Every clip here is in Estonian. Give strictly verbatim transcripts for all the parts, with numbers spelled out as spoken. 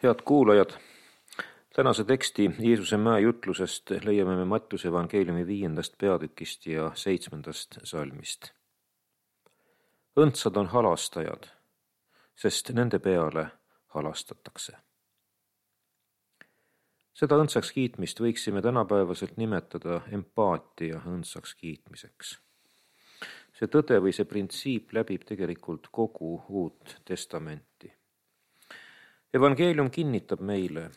Head kuulajad, tänase teksti Jeesuse mäe jutlusest leiame me Mattiuse evangeeliumi viiendast peatükist ja seitsmendast salmist. Õndsad on halastajad, sest nende peale halastatakse. Seda õndsaks kiitmist võiksime tänapäevaselt nimetada empaatia õndsaks kiitmiseks. See tõde või see printsiip läbib tegelikult kogu Uut Testamenti. Evangeelium kinnitab meile,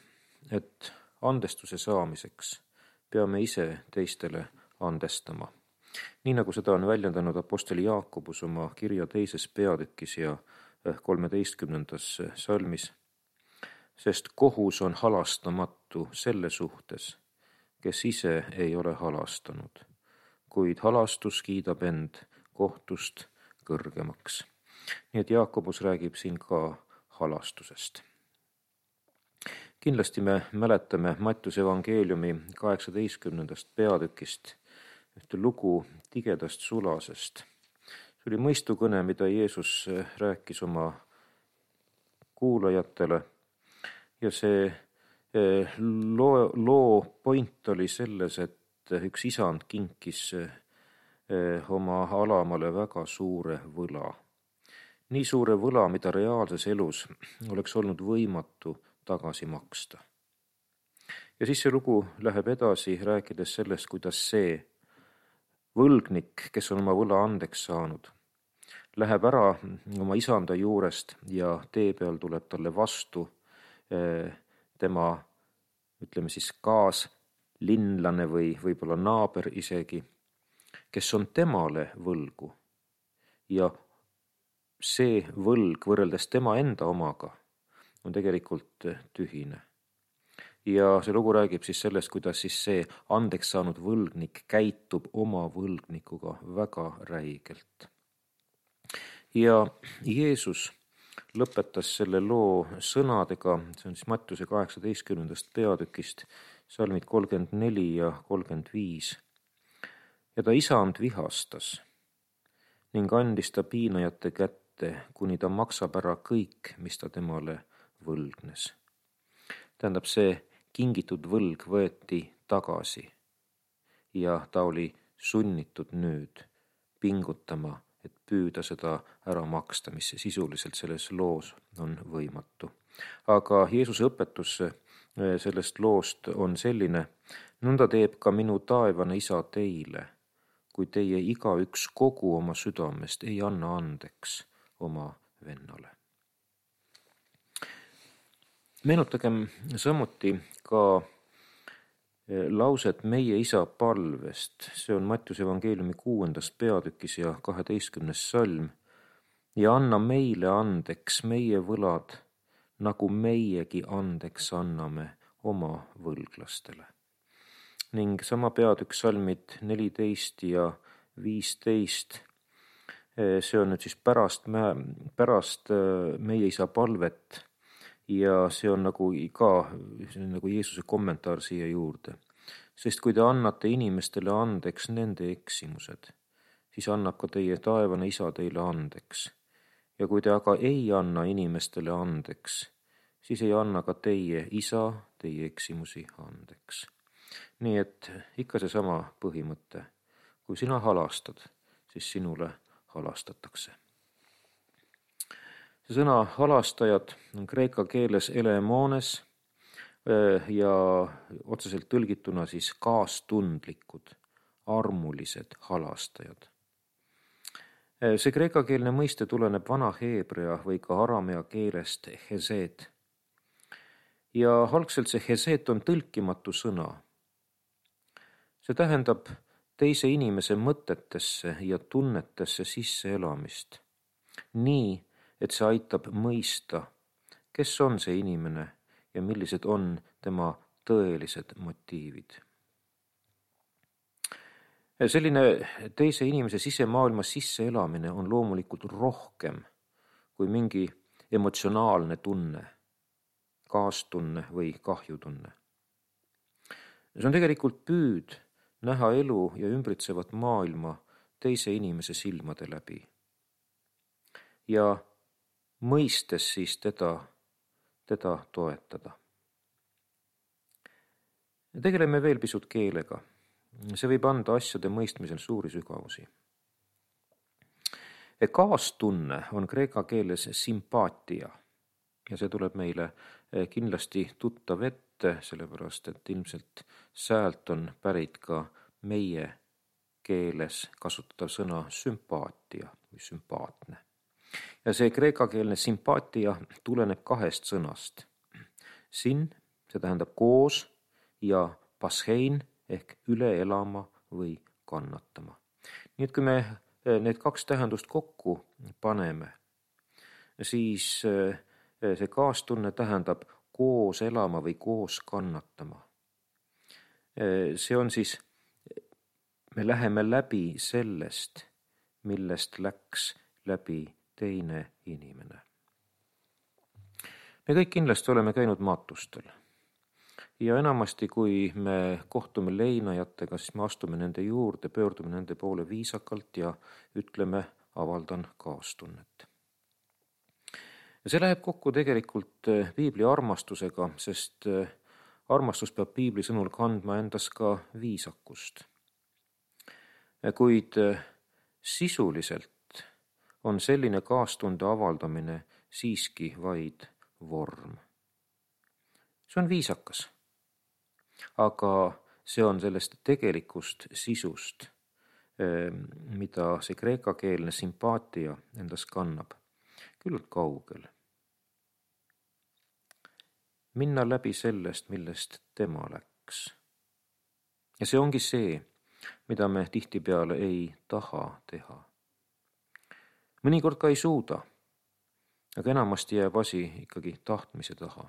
et andestuse saamiseks peame ise teistele andestama. Nii nagu seda on väljendanud apostoli Jaakobus oma kirja teises peatükis ja kolmeteistkümnendas salmis, sest kohus on halastamatu selle suhtes, kes ise ei ole halastanud, kuid halastus kiidab end kohtust kõrgemaks. Nii et Jaakobus räägib siin ka halastusest. Kindlasti me mäletame Mattiuse evangeeliumi kaheksateistkümnendast peatükist ühte lugu tigedast sulasest. See oli mõistukõne, mida Jeesus rääkis oma kuulajatele ja see loo, loo point oli selles, et üks isand kinkis oma alamale väga suure võla. Nii suure võla, mida reaalses elus oleks olnud võimatu tagasi maksta. Ja siis see lugu läheb edasi, rääkides sellest, kuidas see võlgnik, kes on oma võla andeks saanud, läheb ära oma isanda juurest ja tee peal tuleb talle vastu tema, ütleme siis kaaslinlane või võib-olla naaber isegi, kes on temale võlgu. Ja see võlg võrreldes tema enda omaga on tegelikult tühine. Ja see lugu räägib siis sellest, kuidas siis see andeks saanud võlgnik käitub oma võlgnikuga väga räigelt. Ja Jeesus lõpetas selle loo sõnadega, see on siis Mattiuse kaheksateistkümnendast peatükist, salmid kolmkümmend neli ja kolmkümmend viis. Ja ta isand vihastas ning andis ta piinajate kätte, kuni ta maksab ära kõik, mis ta temale võlgnes. Tähendab, see kingitud võlg võeti tagasi ja ta oli sunnitud nüüd pingutama, et püüda seda ära maksta, mis sisuliselt selles loos on võimatu. Aga Jeesuse õpetus sellest loost on selline, nõnda teeb ka minu taevane isa teile, kui teie igaüks kogu oma südamest ei anna andeks oma vennale. Meenutagem samuti ka lauset meie isa palvest, see on Mattiuse evangeeliumi kuuendas peatükis ja kaheteistkümnes salm, ja anna meile andeks meie võlad, nagu meiegi andeks anname oma võlglastele. Ning sama peatükk salmid neliteist ja viisteist, see on nüüd siis pärast, pärast meie isa palvet ja see on nagu ka see on nagu Jeesuse kommentaar siia juurde. Sest kui te annate inimestele andeks nende eksimused, siis annab ka teie taevane isa teile andeks. Ja kui te aga ei anna inimestele andeks, siis ei anna ka teie isa teie eksimusi andeks. Nii et ikka seesama põhimõte. Kui sina halastad, siis sinule halastatakse. See sõna halastajad on kreeka keeles elemones ja otseselt tõlgituna siis kaastundlikud, armulised halastajad. See kreekakeelne mõiste tuleneb vana heebrea või ka aramea keelest hesed. Ja algselt see hesed on tõlkimatu sõna. See tähendab teise inimese mõtetesse ja tunnetesse sisse elamist. Nii, et see aitab mõista, kes on see inimene ja millised on tema tõelised motiivid. Selline teise inimese sisemaailma sisse elamine on loomulikult rohkem kui mingi emotsionaalne tunne, kaastunne või kahjutunne. See on tegelikult püüd näha elu ja ümbritsevat maailma teise inimese silmade läbi. Ja mõistes siis teda teda toetada. Tegeleme veel pisut keelega. See võib anda asjade mõistmisel suuri sügavusi. Kaastunne on kreeka keeles sympaatia ja see tuleb meile kindlasti tuttav ette, sellepärast et ilmselt säält on pärit ka meie keeles kasutatav sõna sümpaatia või sümpaatne. Ja see kreekakeelne sympaatia tuleneb kahest sõnast. Sin, see tähendab koos, ja pashein ehk üle elama või kannatama. Nii et kui me need kaks tähendust kokku paneme, siis see kaastunne tähendab koos elama või koos kannatama. See on siis, me läheme läbi sellest, millest läks läbi teine inimene. Me kõik kindlasti oleme käinud maatustel. Ja enamasti, kui me kohtume leinajatega, siis me astume nende juurde, pöördume nende poole viisakalt ja ütleme, avaldan kaastunnet. Ja see läheb kokku tegelikult piibli armastusega, sest armastus peab piibli sõnul kandma endas ka viisakust. Kuid sisuliselt on selline kaastunde avaldamine siiski vaid vorm. See on viisakas. Aga see on sellest tegelikust sisust, mida see kreekakeelne sympaatia endas kannab, küllalt kaugel. Minna läbi sellest, millest tema läks. Ja see ongi see, mida me tihtipeale ei taha teha. Mõnikord ka ei suuda, aga enamasti jääb asi ikkagi tahtmise taha,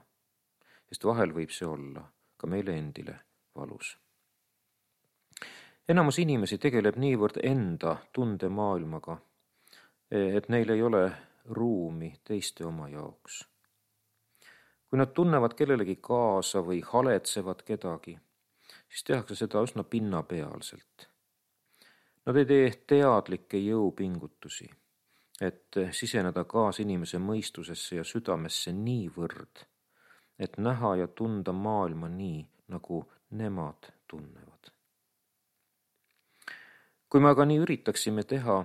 sest vahel võib see olla ka meile endile valus. Enamus inimesi tegeleb niivõrd enda tundemaailmaga, et neil ei ole ruumi teiste oma jaoks. Kui nad tunnevad kellelegi kaasa või haletsevad kedagi, siis tehakse seda üsna pinnapealselt. Nad ei tee teadlikke jõupingutusi, et siseneda kaas inimese mõistusesse ja südamesse niivõrd, et näha ja tunda maailma nii, nagu nemad tunnevad. Kui me aga nii üritaksime teha,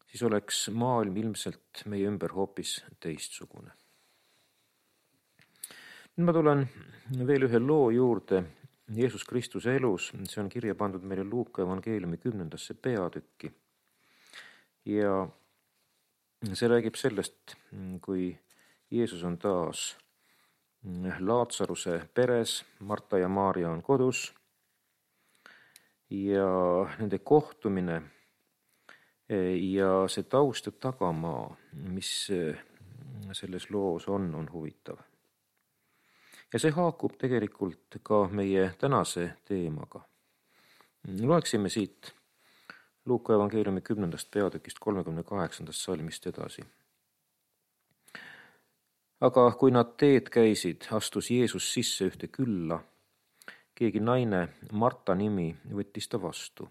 siis oleks maailm ilmselt meie ümber hoopis teistsugune. Nüüd ma tulen veel ühe loo juurde Jeesus Kristuse elus. See on kirja pandud meile Luuka evangeeliumi kümnendasse peatükki. Ja see räägib sellest, kui Jeesus on taas Laatsaruse peres, Marta ja Maarja on kodus ja nende kohtumine ja see taust ja tagamaa, mis selles loos on, on huvitav. Ja see haakub tegelikult ka meie tänase teemaga. Loeksime siit Luuka evangeeliumi kümnendast peatükist kolmekümne kaheksandast salmist edasi. Aga kui nad teed käisid, astus Jeesus sisse ühte külla. Keegi naine, Marta nimi, võttis ta vastu.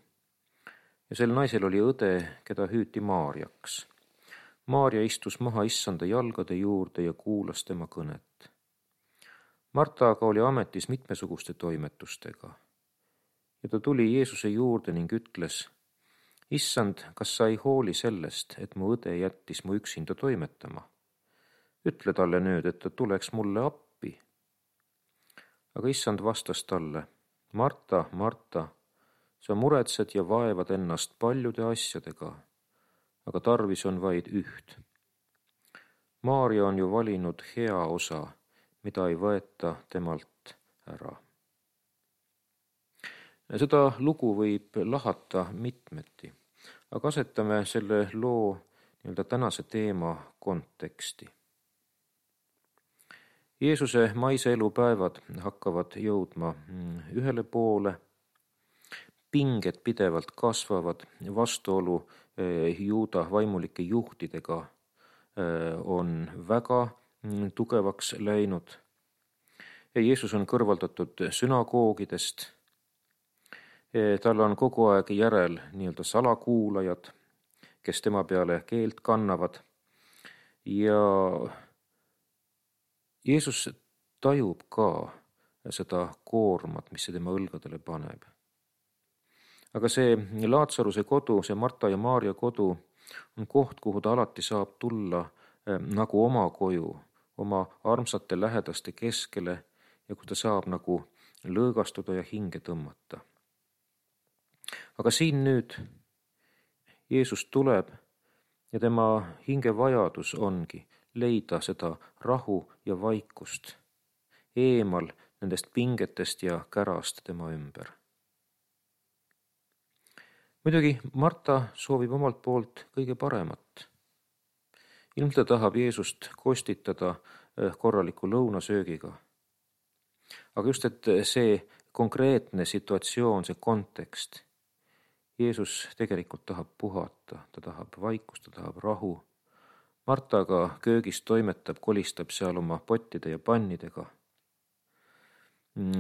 Ja sel naisel oli õde, keda hüüti Maarjaks. Maarja istus maha issanda jalgade juurde ja kuulas tema kõnet. Marta aga oli ametis mitmesuguste toimetustega. Ja ta tuli Jeesuse juurde ning ütles, issand, kas sa ei hooli sellest, et mu õde jättis mu üksinda toimetama? Ütle talle nüüd, et ta tuleks mulle appi. Aga issand vastas talle, Marta, Marta, sa muretsed ja vaevad ennast paljude asjadega, aga tarvis on vaid üht. Maarja on ju valinud hea osa, mida ei võeta temalt ära. Seda lugu võib lahata mitmeti, aga asetame selle loo nii-öelda tänase teema konteksti. Jeesuse maise elupäevad hakkavad jõudma ühele poole, pinged pidevalt kasvavad, vastuolu Juuda vaimulike juhtidega on väga tugevaks läinud. Jeesus on kõrvaldatud sünagoogidest, tal on kogu aeg järel nii-öelda salakuulajad, kes tema peale keelt kannavad ja Jeesus tajub ka seda koormat, mis see tema õlgadele paneb. Aga see Laatsaruse kodu, see Marta ja Maarja kodu on koht, kuhu ta alati saab tulla nagu oma koju, oma armsate lähedaste keskele ja kus ta saab nagu lõõgastuda ja hinge tõmmata. Aga siin nüüd Jeesus tuleb ja tema hingevajadus ongi leida seda rahu ja vaikust, eemal nendest pingetest ja kärast tema ümber. Muidugi Marta soovib omalt poolt kõige paremat. Ilmselt ta tahab Jeesust kostitada korraliku lõunasöögiga. Aga just, et see konkreetne situatsioon, see kontekst, Jeesus tegelikult tahab puhata, ta tahab vaikust, ta tahab rahu. Marta aga köögis toimetab, kolistab seal oma pottide ja pannidega.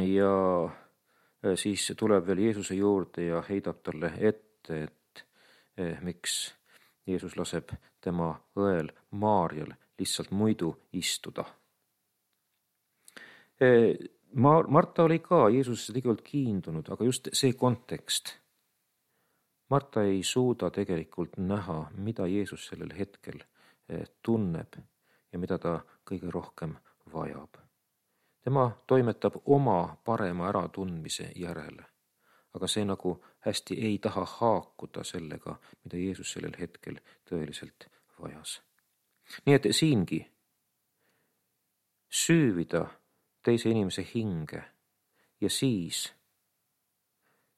Ja siis tuleb veel Jeesuse juurde ja heidab talle ette, et eh, miks Jeesus laseb tema õel Maarjal lihtsalt muidu istuda. Eh, Marta oli ka Jeesusesse tegelikult kiindunud, aga just see kontekst. Marta ei suuda tegelikult näha, mida Jeesus sellel hetkel tunneb ja mida ta kõige rohkem vajab. Tema toimetab oma parema äratundmise järele, aga see nagu hästi ei taha haakuda sellega, mida Jeesus sellel hetkel tõeliselt vajas. Nii et siingi süüvida teise inimese hinge ja siis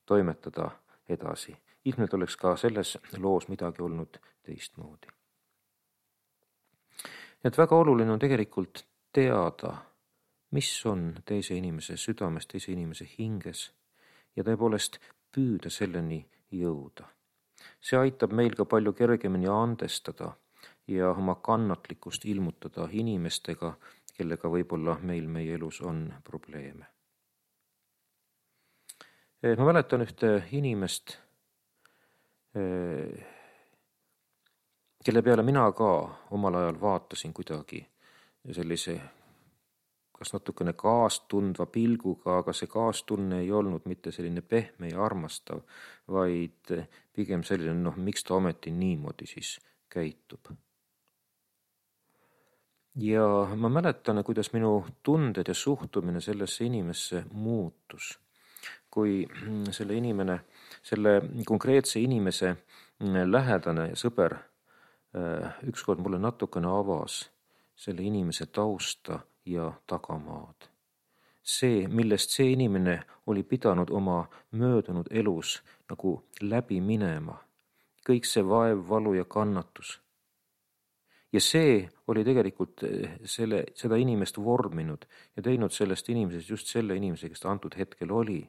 toimetada edasi. Ilmselt oleks ka selles loos midagi olnud teistmoodi. Et väga oluline on tegelikult teada, mis on teise inimese südames, teise inimese hinges ja tõepoolest püüda selleni jõuda. See aitab meil ka palju kergemini andestada ja oma kannatlikkust ilmutada inimestega, kellega võib-olla meil meie elus on probleeme. Ma mäletan ühte inimest, kelle peale mina ka omal ajal vaatasin kuidagi sellise kas natukene kaastundva pilguga, aga see kaastunne ei olnud mitte selline pehme ja armastav, vaid pigem selline, noh, miks ta ometi niimoodi siis käitub. Ja ma mäletan, kuidas minu tunded ja suhtumine sellesse inimesse muutus, kui selle inimene, selle konkreetse inimese lähedane ja sõber ükskord mulle natukene avas selle inimese tausta ja tagamaad. See, millest see inimene oli pidanud oma möödunud elus nagu läbi minema, kõik see vaev, valu ja kannatus. Ja see oli tegelikult selle, seda inimest vorminud ja teinud sellest inimesest just selle inimese, kes ta antud hetkel oli,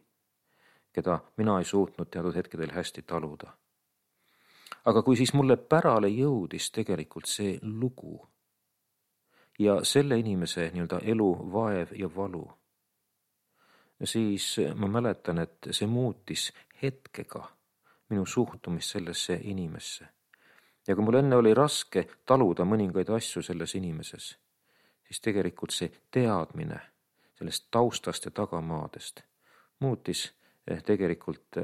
keda mina ei suutnud teatud hetkedel hästi taluda. Aga kui siis mulle pärale jõudis tegelikult see lugu ja selle inimese nii-öelda elu, vaev ja valu, siis ma mäletan, et see muutis hetkega minu suhtumist sellesse inimesse. Ja kui mul enne oli raske taluda mõningaid asju selles inimeses, siis tegelikult see teadmine sellest taustast ja tagamaadest muutis tegelikult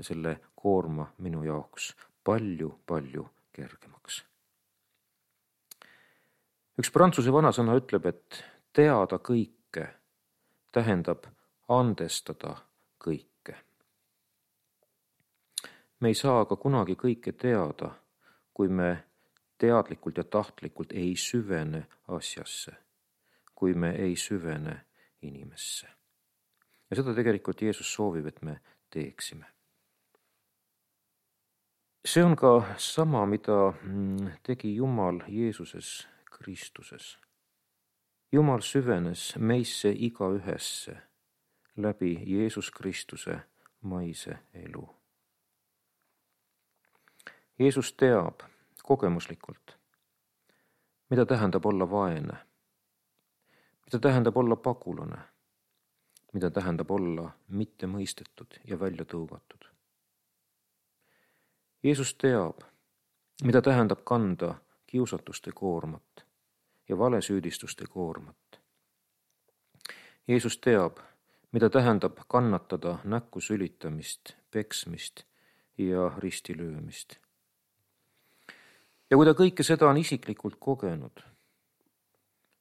selle koorma minu jaoks palju, palju kergemaks. Üks prantsuse vanasõna ütleb, et teada kõike tähendab andestada kõike. Me ei saa aga kunagi kõike teada, kui me teadlikult ja tahtlikult ei süvene asjasse, kui me ei süvene inimesse. Ja seda tegelikult Jeesus soovib, et me teeksime. See on ka sama, mida tegi Jumal Jeesuses Kristuses. Jumal süvenes meisse igaühesse läbi Jeesus Kristuse maise elu. Jeesus teab kogemuslikult, mida tähendab olla vaene, mida tähendab olla pagulane, mida tähendab olla mitte mõistetud ja välja tõugatud. Jeesus teab, mida tähendab kanda kiusatuste koormat ja valesüüdistuste koormat. Jeesus teab, mida tähendab kannatada näkku sülitamist, peksmist ja ristilöömist. Ja kui ta kõike seda on isiklikult kogenud,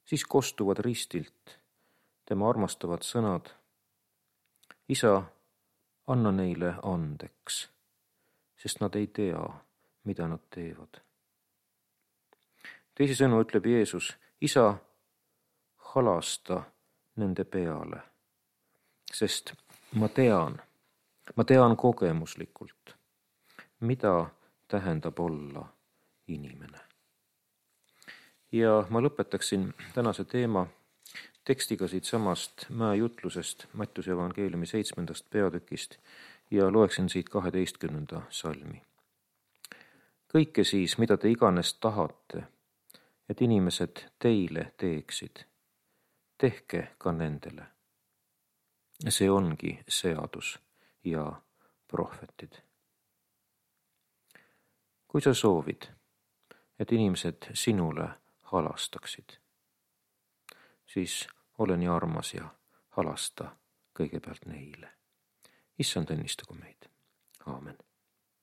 siis kostuvad ristilt tema armastavad sõnad: Isa, anna neile andeks, sest nad ei tea, mida nad teevad. Teisisõnu ütleb Jeesus: Isa, halasta nende peale, sest ma tean, ma tean kogemuslikult, mida tähendab olla inimene. Ja ma lõpetaksin tänase teema tekstiga siit samast mäejutlusest Mattiuse evangeeliumi seitsmendast peatükist ja loeksin siit kaheteistkümnenda salmi. Kõike siis, mida te iganes tahate, et inimesed teile teeksid, tehke ka nendele. See ongi seadus ja prohvetid. Kui sa soovid, et inimesed sinule halastaksid, siis ole nii armas ja halasta kõigepealt neile. Issand õnnistagu meid. Aamen.